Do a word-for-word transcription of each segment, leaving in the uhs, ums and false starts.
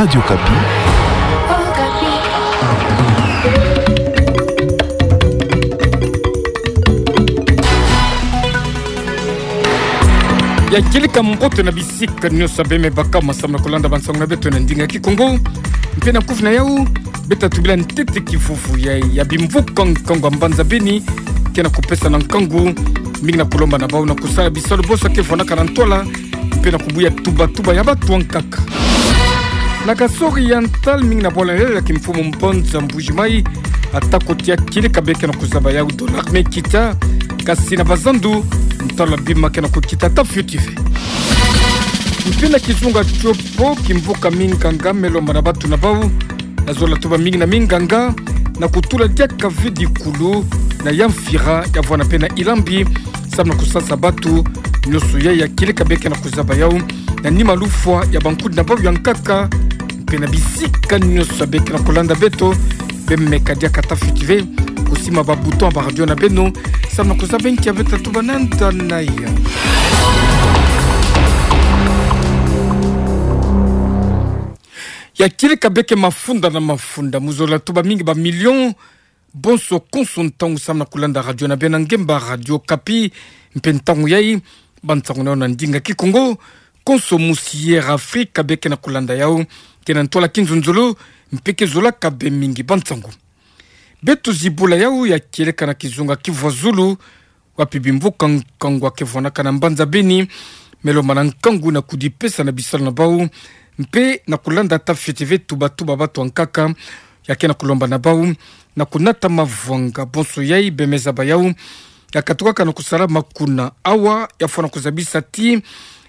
Radio Okapi. Ya kieleka mbote na bisika nyonso abe me baka ma samu na kulanda bansangu na beto na ndinga Kikongo. Mpe na kufi na yau, beta tubila ntete kivuvu ya, ya bimvuka nkangu ya mbanza Beni, ke na kupesa na nkangu mingi na kulomba na bau na kusala bisalu bonso ke vwanaka na ntwala, mpe na kubuya tuba-tuba ya batu ankaka. Na Kasaï Oriental, mingi na bwala ya kimfumu mbanza Mbuji-Mayi, ata kotia kieleka be ke na kuzaba yau dollar me kita, kasi na bazandu, ntalo ya bima ke na kukita ata fioti ve. Mpe na kizunga Tshopo, kimvuka minganga me lomba na batu na bau, na zola tuba mingi na minganga, na kutula diaka ve dikulu, na Yamfira, ya vwana mpe na Ilambi, samu na kusasa batu nyonso ya, ya kieleka be ke na kuzaba yau, na nima lufwa ya bankudi na bau ya nkaka, mpe na bisika nyonso abe ke na kulanda beto, bemeka diaka ata fioti ve, kusimba ba bouton ya ba radio na beno, samu na kuzaba nki abe tatuba na nda na ya. Ya kieleka be ke mafunda na mafunda, mu zola tuba mingi ba millions, bonso konso ntangu samu na kulanda radio na beno na ngemba Radio Okapi, mpe ntangu yai, bansangu na yau na ndinga Kikongo, konso musi Air Afrique be ke na kulanda yau, ke na ntwala kinzonzolo, mpe ke zolaka be mingi bansangu. Beto zibula yau ya kieleka na kizunga Kivu ya Zulu, wapi bimvuka nkangu ke vwanaka na mbanza Beni, me lomba na nkangu na kudipesa na bisalu na bau, mpe na kulanda ata fioti ve tuba-tuba batu ankaka, ya ke na kulomba na bau, na kunata mavwanga bonso yai be me zaba yau, ya katukaka na kusala makuna awa, ya fwana kuzabisa ti,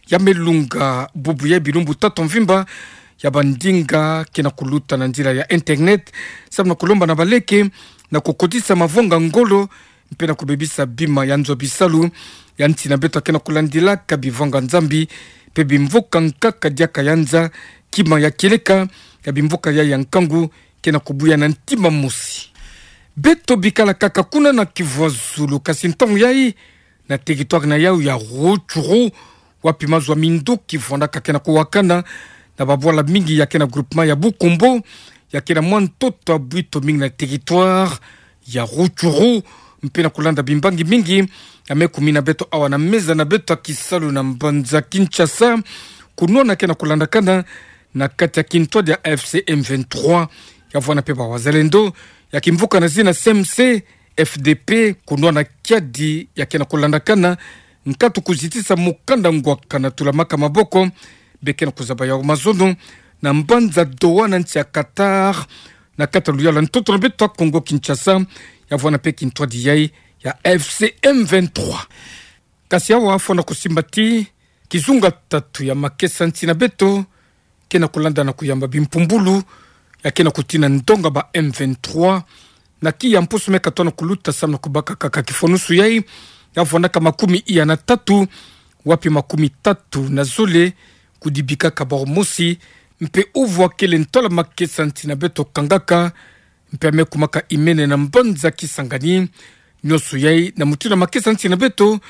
ya me lunga bubu ya bilumbu tatu mvimba, ya bandinga ke na kuluta na nzila ya internet, samu na kulomba na baleke, na kukotisa mavwanga ngolo, mpe na kubebisa bima ya nzo bisalu, ya nsi na beto ke na kulandilaka bivwanga Nzambi, mpe bimvuka nkaka diaka ya nza, kima ya kieleka, ya bimvuka ya ya nkangu, ke na kubuya na ntima mosi. Beto bikala kaka kuna na Kivu ya Zulu kasi ntangu yai, na territoire na yau ya Rutshuru, wapi mazu ya minduki vwanaka ke na kuwakana, na babwala mingi ya ke na groupement ya Bukombo, ya ke na mwa ntoto ya bwito mingi na territoire ya Rutshuru, mpe na kulanda bimbangi mingi, ya me kumina beto awa na meza na beto ya kisalu na mbanza Kinshasa, kunwana ke na kulandakana, na kati ya kintwadi ya A F C M vingt-trois, ya vwana mpe ba wazalendo, ya kimvuka na zina C M C, F D P, kunwana kiadi ya ke na kulandakana, nkatu kuzitisa mukanda ngwaka na tulamaka maboko, be ke na kuzaba yau mazono, na mbanza Doha na nsi ya Qatar, na kati ya luyalu ya ntoto na beto ya Kongo Kinshasa, ya vwana mpe kintwadi yai ya F C M vingt-trois. Kasi awa fwana kusimba ti, kizunga tatu ya makesa nsi na beto, ke na kulanda na kuyamba bimpumbulu, ya ke na kutina ndonga ba M vingt-trois, na kiya mpusu me katona kuluta samu na kubaka kaka kifonusu yai, ya vwanaka makumi iya na tatu, wapi makumi tatu na zole, kudibikaka bau mosi, mpe uvu akele ntwala makesa nsi na beto kangaka, mpe ya me kumaka imene na mbanza Kisangani, nyonso yai na mutindu ya makesa nsi na beto,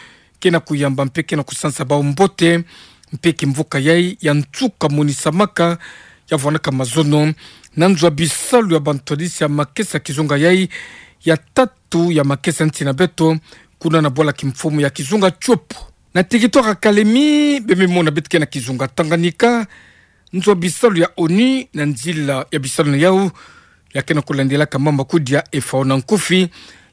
ke na kuyamba mpe ke na kusansa bau mbote, mpe kimvuka yai ya nsuka monisamaka, ya vwanaka mazono, na nzo ya bisalu ya bantwadisi ya makesa kizunga yai, ya tatu ya makesa nsi na beto, kuna na bwala kimfumu ya kizunga Tshopo. Na territoire ya Kalemi, be me mona beto ke na kizunga Tanganyika, nzo ya bisalu ya ONU, na nzila ya bisalu na yau, ya ke na kulandilaka mamba kudi ya F A O na nkufi,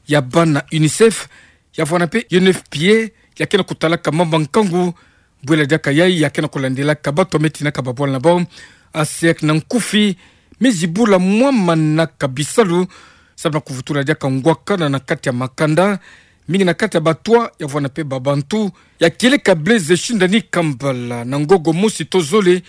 ya bana UNICEF, ya vwana mpe U N F P A, ya ke na kutalaka mamba nkangu, bwela diaka yai, ya ke na kulandilaka bato me tinaka babwala na bau, ASEAN na nkufi, me zibula mwa manaka bisalu, samu na kuvutula diaka ngwakana na kati ya makanda, mingi na kati ya batwa, ya vwana mpe babantu, ya kieleka Blaise Shindani Kambala, na ngogo mosi to zole,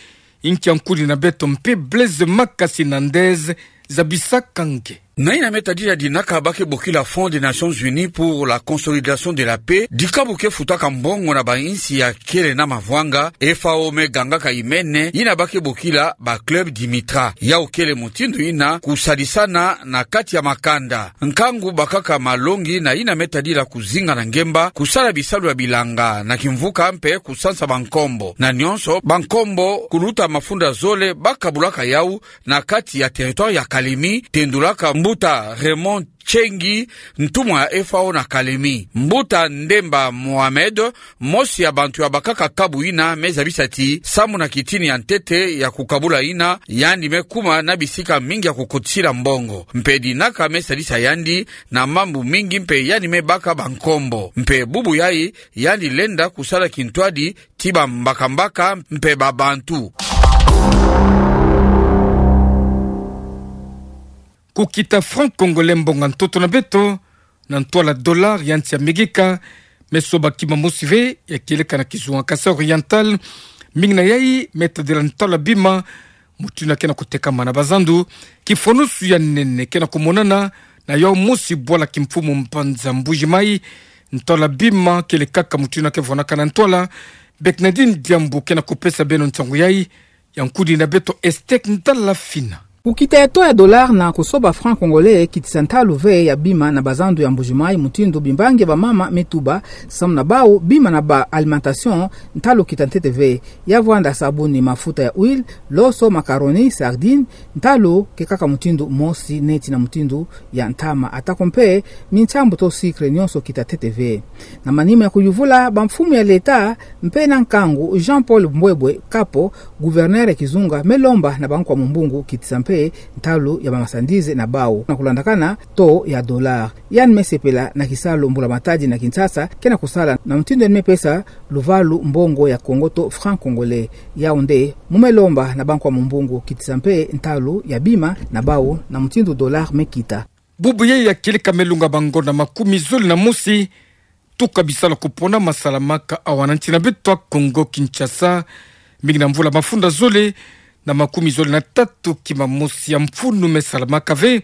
inki ya nkuni na beto mpe Blaise Makasi na ndeze, zabisaka nge. Na yina me tadila dinaka ba ke bokila Fonds des Nations Unies pour la Consolidation de la Paix, dikabu ke futaka mbongo na bainsi ya kele na mavwanga, F A O me gangaka imene, yina ba ke bokila ba club Dimitra. Yau kele mutindu yina kusadisana na kati ya makanda. Nkangu bakaka malongi na yina me tadila kuzinga na ngemba, kusala bisalu ya bilanga na kimvuka mpe kusansa bankombo. Na nyonso, bankombo kuluta mafunda zole ba kabulaka yau na kati ya territoire ya Kalemi, tendulaka mbuta Raymond Tchengi, ntumwa ya F A O na Kalemi. Mbuta Ndemba Mohamed, mosi ya bantu ya bakaka kabu yina, me zabisa ti, samu na kitini ya ntete ya kukabula yina, yandi me kuma na bisika mingi ya kukotisila mbongo. Mpe dinaka me sadisa yandi na mambu mingi mpe yandi me baka bankombo. Mpe bubu yai, yandi lenda kusala kintwadi ti bambakambaka mpe babantu. Kukita franc congolais mbongo ntoto na beto, na ntwala dollar ya nsi ya Amerika, me soba kima mosi ve ya kieleka na kizunga Kasaï Oriental, mingi na yai me tadila ntwala bima, mutindu yina ke na kutekama na bazandu, kifonusu ya nene ke na kumonana na yau mosi bwala kimfumu mbanza Mbuji-Mayi, ntwala bima kielekaka mutindu yina ke vonaka na ntwala, Bernardine Diambu ke na kupesa beno nsangu yai, ya nkudi na beto Estek Ndala Fina. Kukita ya taux ya dollar na kusoba franc congolais kitisa ntalu ve ya bima na bazandu ya Mbuji-Mayi mutindu bimbangi ya bamama me tuba, samu na bau bima na ba alimentation ntalu kita ntete ve. Ya vwanda sabuni, mafuta ya huile, loso, macaroni, sardine, ntalu ke kaka mutindu mosi neti na mutindu ya ntama, atako mpe mintiambu to sucre, nyonso kita ntete ve. Na manima ya kuyuvula, bamfumu ya leta mpe na nkangu, Jean-Paul Mbwebwe Kapo, gouverneur ya kizunga, me lomba na bankwa mumbungu kitisa mpe ntalu ya bamasandize na bau na kulandakana taux ya dollar. Yandi me sepela na kisalu mbula-matadi na Kinshasa ke na kusala, na mutindu yandi me pesa luvalu mbongo ya Congo to franc congolais. Yau nde mu me lomba na bankwa mumbungu kitisa mpe ntalu ya bima na bau na mutindu dollar me kita. Bubu yai ya kieleka me lunga bangonda makumi zole na mosi, tuka bisalu ya kuponama salamaka awa na nsi na beto ya Congo Kinshasa, mingi na mvula mafunda zole na makumi zole na tatu kima mosi ya mfunu me salamaka ve.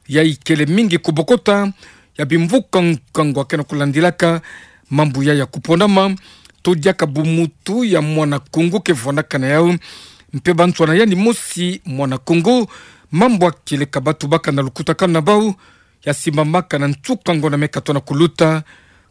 Yai kele mingi kubokota ya bimvuka nkangu ya ke na kulandilaka mambu yai ya kuponama, to diaka bumuntu ya mwana Kongo ke vwandaka na yau, mpe banswa na yandi mosi mwana Kongo, mambu ya kieleka ba tubaka na lukutakanu na bau ya simbamaka na nsuka ngonda me katona kuluta.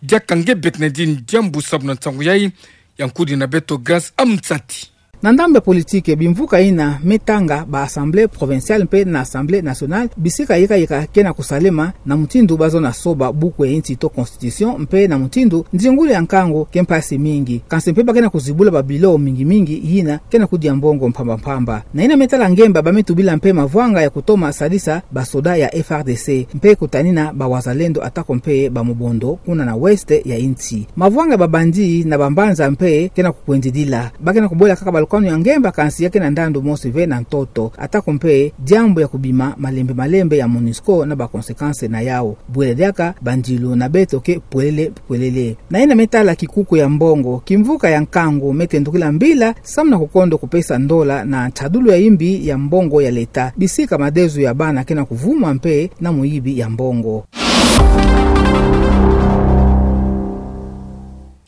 Diaka nge Bernardine Diambu samu na nsangu yai, ya nkudi na beto Grace Amsati. Na ndambu ya politike, bimvuka yina me tanga ba assemblée provinciale mpe na assemblée nationale, bisika yika yika ke na kusalema na mutindu ba zona soba buku ya nsi to constitution, mpe na mutindu ndingulu ya nkangu ke mpasi mingi. Kansi mpe ba ke na kuzibula ba bilo mingi mingi yina ke na kudia mbongo mpamba mpamba. Na yina me tala ngemba, ba me tubila mpe mavwanga ya kutoma sadisa basoda ya F R D C, mpe kutanina bawazalendo atako mpe bamubondo kuna na ouest ya nsi. Mavwanga ya ba bandits na bambanza mpe ke na kukwendidila. Ba ke na kubwela kaka balukanu ya ngemba, kansi ya ke na ndandu mosi ve na ntoto, atako mpe diambu ya kubima malembe malembe ya MONUSCO na ba conséquences na yau. Bwele diaka bandilu na beto ke pwelele pwelele. Na yina me tala kikuku ya mbongo, kimvuka ya nkangu me tendukila mbila samu na kukondo kupesa ndola na ntadulu ya imbi ya mbongo ya leta, bisika madezo ya bana ke na kuvuma mpe na muyibi ya mbongo.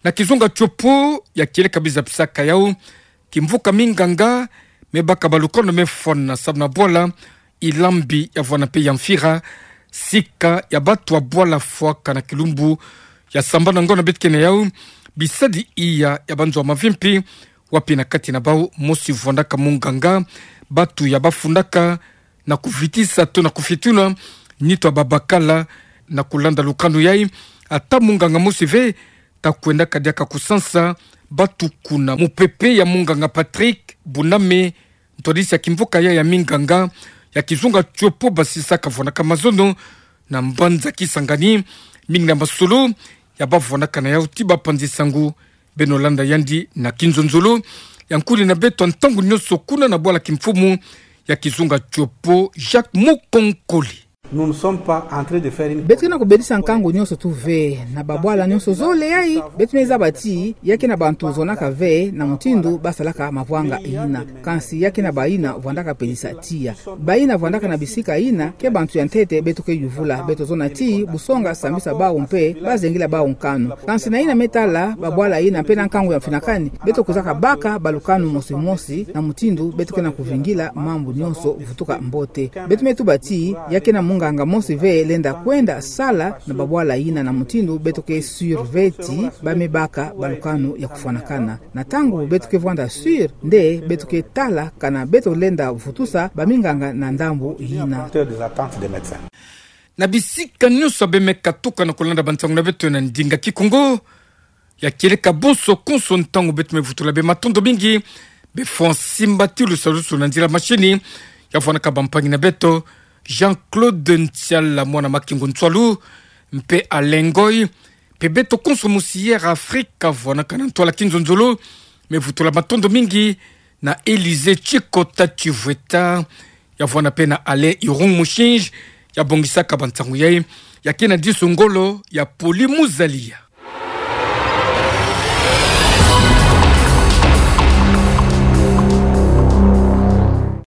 Na kizunga Tshopo, ya kieleka biza pisaka yau, kimvuka minganga me baka balukanu me fwana samu na bwala Ilambi ya vwana mpe ya Mfira, sika ya batu ya bwala fwaka na kilumbu ya sambanu ngonda beto ke na yau, bisadi iya ya banzo ya mavimpi, wapi na kati na bau mosi vwandaka munganga, batu ya bafundaka na kuvitisa to na kufietuna nitu ya babakala. Na kulanda lukanu yai, ata munganga mosi ve ta kwendaka diaka kusansa batu kuna. Mupepe ya munganga Patrick Buname, ntwadisi ya kimvuka yai ya minganga ya kizunga Tshopo, basisaka vwanaka mazono na mbanza Kisangani, mingi na masolo ya bavwanaka na yau ti bapanzi sangu. Beno landa yandi na kinzonzolo ya nkudi na beto ntangu nyonso kuna na bwala kimfumu ya kizunga Tshopo, Jacques Mukonkole. Nous ne sommes pas en train de faire une... Beto ke na kubelisa nkangu nyonso tu ve, na babwala nyonso zole yayi, beto me zaba ti, ya ke na bantu zonaka ve, na mutindu basalaka mavwanga yina. Kansi ya ke na bayina vwandaka pelisa tiya. Bayina vwandaka na bisika yina, ke bantu ya ntete beto ke yuvula, beto zona ti, busonga sambisa bawu mpe, bazengila bawu nkanu. Kansi na yina me tala, babwala yina mpe na nkangu ya mfinakani, beto kwizaka baka balukanu mosi mosi, na mutindu beto ke na kuvingila mambu nyonso vutuka mbote. Beto me tuba ti, ya ke na munganga mosi ve lenda kwenda sala na babwala yina na mutindu beto ke sûr ve ti, ba me baka balukanu ya kufwanakana. Na ntangu beto ke vwanda sûr, nde beto ke tala kana beto lenda vutusa baminganga na ndambu yina. Na bisika nyonso bê me katuka na kulanda bansangu na beto na ndinga Kikongo, ya kieleka bonso konso ntangu beto me vutula bê matondo mingi, bê Francis Mbatilu salusu na nzila mashini, ya vwanaka bampangi na beto, Jean-Claude Ntiala, mwana Makingu Ntwalu, mpe Alain Ngoy, mpe beto konso musi Air Afrique, ya vwanaka na ntwala kinzonzolo, me vutula matondo mingi na Élysée Tshikota Tshivweta, ya vwana mpe na Alain Irung Mushinji, ya bongisaka bansangu yayi, ya ke na disu ngolo ya Poli Muzalia.